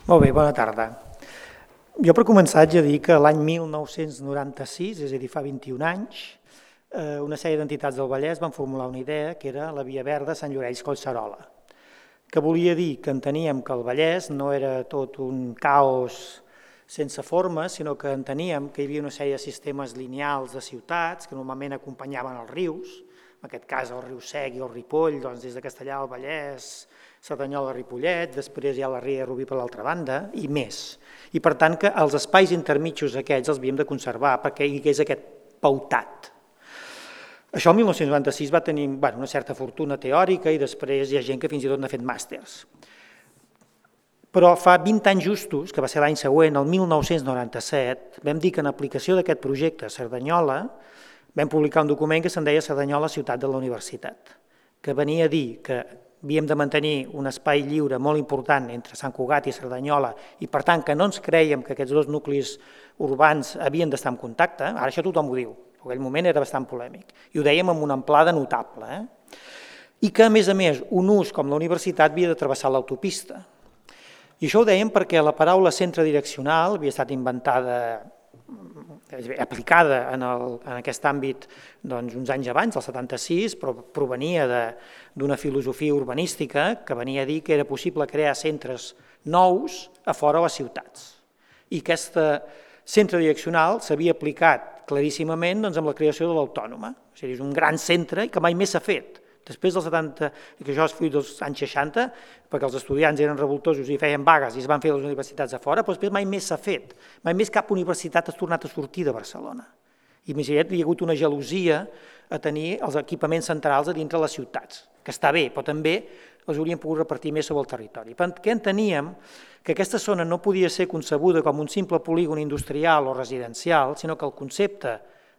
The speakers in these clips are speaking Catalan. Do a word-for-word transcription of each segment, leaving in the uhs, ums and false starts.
Molt bé, bona tarda. Jo per començar haig de dir que l'any mil nou-cents noranta-sis, és a dir, fa vint-i-un anys, una sèrie d'entitats del Vallès van formular una idea que era la Via Verda Sant Llorenç-Collserola, que volia dir que enteníem que el Vallès no era tot un caos sense forma, sinó que enteníem que hi havia una sèrie de sistemes lineals de ciutats que normalment acompanyaven els rius, en aquest cas el riu Sec i el Ripoll, doncs des de Castellar al Vallès, Cerdanyola, Ripollet, després hi ha la Ria de Rubí per l'altra banda, i més. I per tant que els espais intermitjos aquests els havíem de conservar perquè hi hagués aquest pautat. Això el mil nou-cents noranta-sis va tenir una certa fortuna teòrica i després hi ha gent que fins i tot n'ha fet màsters. Però fa vint anys justos, que va ser l'any següent, el mil nou-cents noranta-set, vam dir que en aplicació d'aquest projecte a Cerdanyola vam publicar un document que se'n deia Cerdanyola, ciutat de la universitat, que venia a dir que havíem de mantenir un espai lliure molt important entre Sant Cugat i Cerdanyola i per tant que no ens crèiem que aquests dos nuclis urbans havien d'estar en contacte, ara això tothom ho diu, en aquell moment era bastant polèmic, i ho dèiem amb una amplada notable, eh? I que a més a més un ús com la universitat havia de travessar l'autopista. I això ho dèiem perquè la paraula centre direccional havia estat inventada, aplicada en, el, en aquest àmbit doncs, uns anys abans, el setanta-sis, però provenia d'una filosofia urbanística que venia a dir que era possible crear centres nous a fora de les ciutats. I aquest centre direccional s'havia aplicat claríssimament doncs, amb la creació de l'Autònoma. És a dir, és un gran centre que mai més s'ha fet. Després dels setanta, que això és fruit dels anys seixanta, perquè els estudiants eren revoltosos i feien vagues i es van fer les universitats a fora, però després mai més s'ha fet. Mai més cap universitat ha tornat a sortir de Barcelona. I més aviat hi ha hagut una gelosia a tenir els equipaments centrals a dintre les ciutats, que està bé, però també els haurien pogut repartir més sobre el territori. Perquè enteníem que aquesta zona no podia ser concebuda com un simple polígon industrial o residencial, sinó que el concepte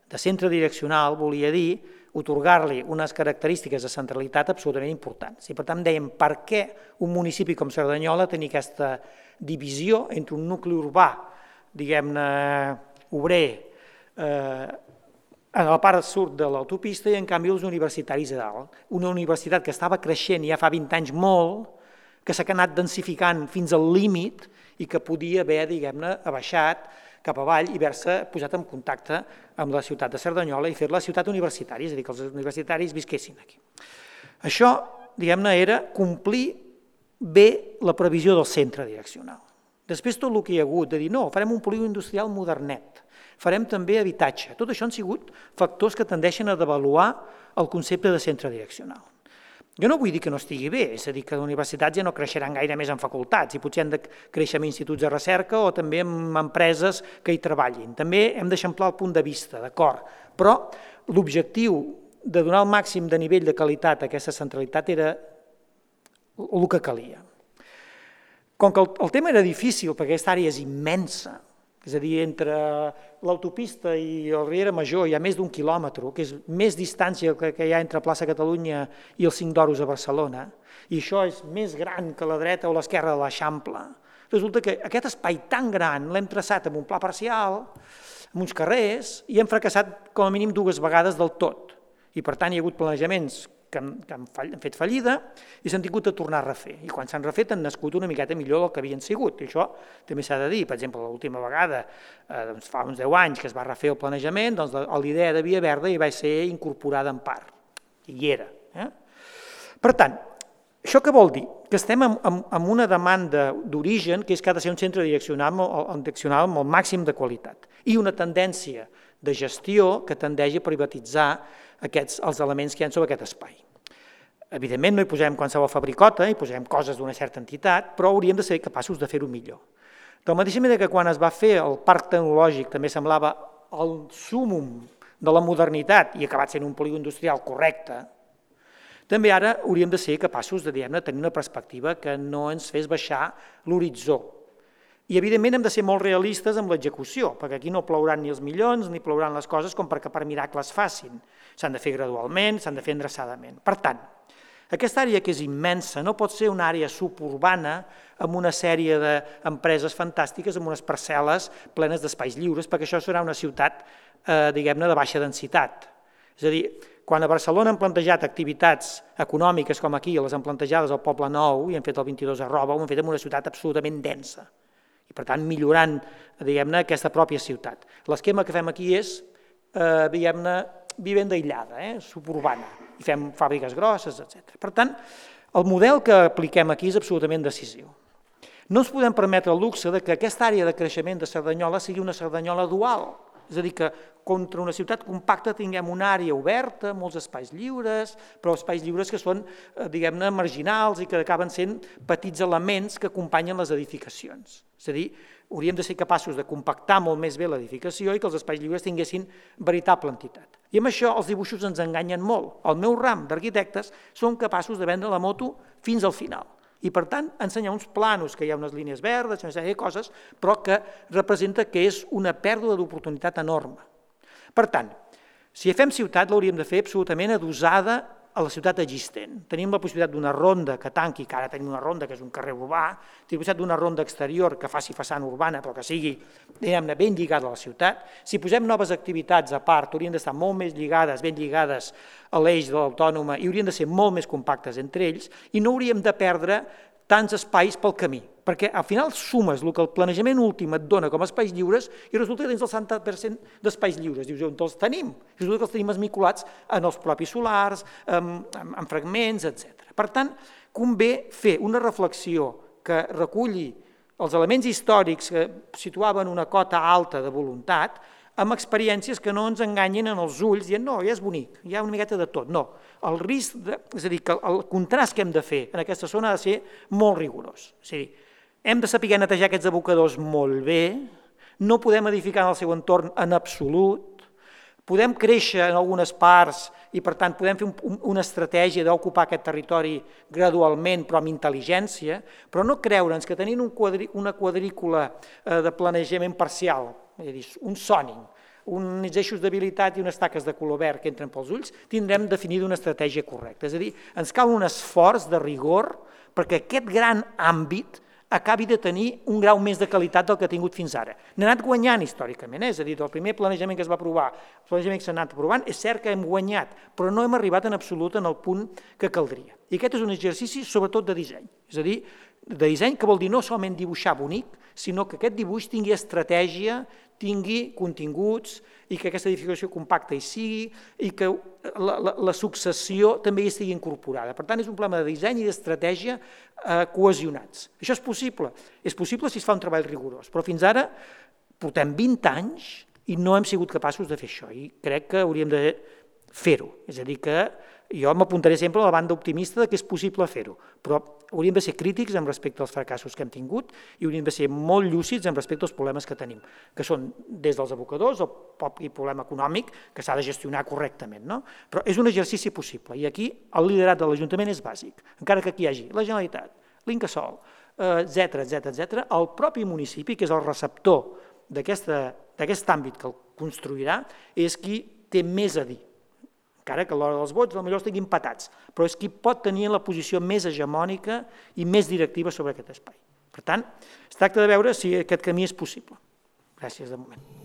de centre direccional volia dir atorgar-li unes característiques de centralitat absolutament importants. I per tant dèiem per què un municipi com Cerdanyola tenia aquesta divisió entre un nucli urbà, diguem-ne, obrer, eh, en la part sud de l'autopista i en canvi els universitaris a dalt. Una universitat que estava creixent ja fa vint anys molt, que s'ha anat densificant fins al límit i que podia haver, diguem-ne, abaixat cap avall i haver-se posat en contacte amb la ciutat de Cerdanyola i fer-la ciutat universitària, és a dir, que els universitaris visquessin aquí. Això, diguem-ne, era complir bé la previsió del centre direccional. Després tot el que hi ha hagut de dir, no, farem un polígon industrial modernet, farem també habitatge. Tot això han sigut factors que tendeixen a devaluar el concepte de centre direccional. Jo no vull dir que no estigui bé, és a dir, que les universitats ja no creixeran gaire més en facultats i potser han de créixer en instituts de recerca o també en empreses que hi treballin. També hem d'eixamplar el punt de vista, d'acord, però l'objectiu de donar el màxim de nivell de qualitat a aquesta centralitat era el que calia. Com que el tema era difícil perquè aquesta àrea és immensa, és a dir, entre l'autopista i el Riera Major hi ha més d'un quilòmetre, que és més distància que hi ha entre plaça Catalunya i els Cinc d'Oros a Barcelona, i això és més gran que la dreta o l'esquerra de l'Eixample. Resulta que aquest espai tan gran l'hem traçat amb un pla parcial, amb uns carrers, i hem fracassat com a mínim dues vegades del tot. I per tant hi ha hagut planejaments que han fet fallida i s'han tingut a tornar a refer. I quan s'han refet han nascut una miqueta millor del que havien sigut. I això també s'ha de dir. Per exemple, l'última vegada, fa uns deu anys que es va refer el planejament, doncs l'idea de Via Verda hi va ser incorporada en part. I hi era. Per tant, això què vol dir? Que estem en una demanda d'origen que és que ha de ser un centre direccional amb el màxim de qualitat i una tendència de gestió que tendeix a privatitzar els elements que hi ha sobre aquest espai. Evidentment no hi posem qualsevol fabricota, hi posem coses d'una certa entitat, però hauríem de ser capaços de fer-ho millor. De la mateixa manera que quan es va fer el parc tecnològic també semblava el súmum de la modernitat i ha acabat sent un polígon industrial correcte, també ara hauríem de ser capaços de tenir una perspectiva que no ens fes baixar l'horitzó. I evidentment hem de ser molt realistes amb l'execució, perquè aquí no plouran ni els milions ni plouran les coses com perquè per miracles facin. S'han de fer gradualment, s'han de fer endreçadament. Per tant, aquesta àrea que és immensa no pot ser una àrea suburbana amb una sèrie d'empreses fantàstiques, amb unes parcel·les plenes d'espais lliures, perquè això serà una ciutat, diguem-ne, de baixa densitat. És a dir, quan a Barcelona han plantejat activitats econòmiques com aquí, les han plantejades al Poble Nou i han fet el vint-i-dos arroba, ho han fet en una ciutat absolutament densa. i per tant millorant, diguem-ne, aquesta pròpia ciutat. L'esquema que fem aquí és, eh, diguem-ne, vivenda aïllada, eh, suburbana, i fem fàbriques grosses, etcètera. Per tant, el model que apliquem aquí és absolutament decisiu. No ens podem permetre el luxe de que aquesta àrea de creixement de Cerdanyola sigui una Cerdanyola dual, és a dir, que contra una ciutat compacta tinguem una àrea oberta, molts espais lliures, però espais lliures que són, diguem-ne, marginals i que acaben sent petits elements que acompanyen les edificacions. És a dir, hauríem de ser capaços de compactar molt més bé l'edificació i que els espais lliures tinguessin veritable entitat. I amb això els dibuixos ens enganyen molt. El meu ram d'arquitectes són capaços de vendre la moto fins al final. I, per tant, ensenyar uns planos, que hi ha unes línies verdes, una sèrie de coses, però que representa que és una pèrdua d'oportunitat enorme. Per tant, si fem ciutat, l'hauríem de fer absolutament adosada a la ciutat existent. Tenim la possibilitat d'una ronda que tanqui, que ara tenim una ronda que és un carrer urbà, tenim la possibilitat d'una ronda exterior que faci façana urbana, però que sigui, diguem-ne, ben lligada a la ciutat. Si posem noves activitats a part, haurien d'estar molt més lligades, ben lligades a l'eix de l'autònoma i haurien de ser molt més compactes entre ells i no hauríem de perdre tants espais pel camí, perquè al final sumes el que el planejament últim et dona com a espais lliures i resulta que tens el setanta per cent d'espais lliures. Dius, on els tenim? I resulta que els tenim esmicolats en els propis solars, en, en fragments, etcètera. Per tant, convé fer una reflexió que reculli els elements històrics que situaven una cota alta de voluntat amb experiències que no ens enganyin en els ulls dient, no, ja és bonic, hi ha una miqueta de tot. No, el risc, de, és a dir, que el contrast que hem de fer en aquesta zona ha de ser molt rigorós. És a dir, hem de saber netejar aquests abocadors molt bé, no podem edificar en el seu entorn en absolut, podem créixer en algunes parts i, per tant, podem fer un, una estratègia d'ocupar aquest territori gradualment, però amb intel·ligència, però no creure'ns que tenint un quadrí, una quadrícula eh, de planejament parcial, és a dir, un zoning, uns eixos d'habilitat i unes taques de color verd que entren pels ulls, tindrem definida una estratègia correcta. És a dir, ens cal un esforç de rigor perquè aquest gran àmbit acabi de tenir un grau més de qualitat del que ha tingut fins ara. N'ha anat guanyant històricament, eh? És a dir, el primer planejament que es va aprovar, el planejament que s'ha anat aprovant, és cert que hem guanyat, però no hem arribat en absolut en el punt que caldria. I aquest és un exercici sobretot de disseny, és a dir, de disseny que vol dir no solament dibuixar bonic, sinó que aquest dibuix tingui estratègia, tingui continguts i que aquesta edificació compacta hi sigui i que la, la, la successió també hi estigui incorporada. Per tant, és un problema de disseny i d'estratègia eh, cohesionats. Això és possible. És possible si es fa un treball rigorós, però fins ara portem vint anys i no hem sigut capaços de fer això i crec que hauríem de fer-ho. És a dir, que jo m'apuntaré sempre a la banda optimista que és possible fer-ho, però hauríem de ser crítics amb respecte als fracassos que hem tingut i hauríem de ser molt lúcids amb respecte als problemes que tenim, que són des dels abocadors el propi problema econòmic que s'ha de gestionar correctament, no? Però és un exercici possible i aquí el liderat de l'Ajuntament és bàsic, encara que aquí hi hagi la Generalitat, l'Incasòl, etcètera, etcètera, etcètera, el propi municipi, que és el receptor d'aquest àmbit que el construirà, és qui té més a dir. Encara que a l'hora dels vots potser estiguin empatats, però és qui pot tenir la posició més hegemònica i més directiva sobre aquest espai. Per tant, es tracta de veure si aquest camí és possible. Gràcies de moment.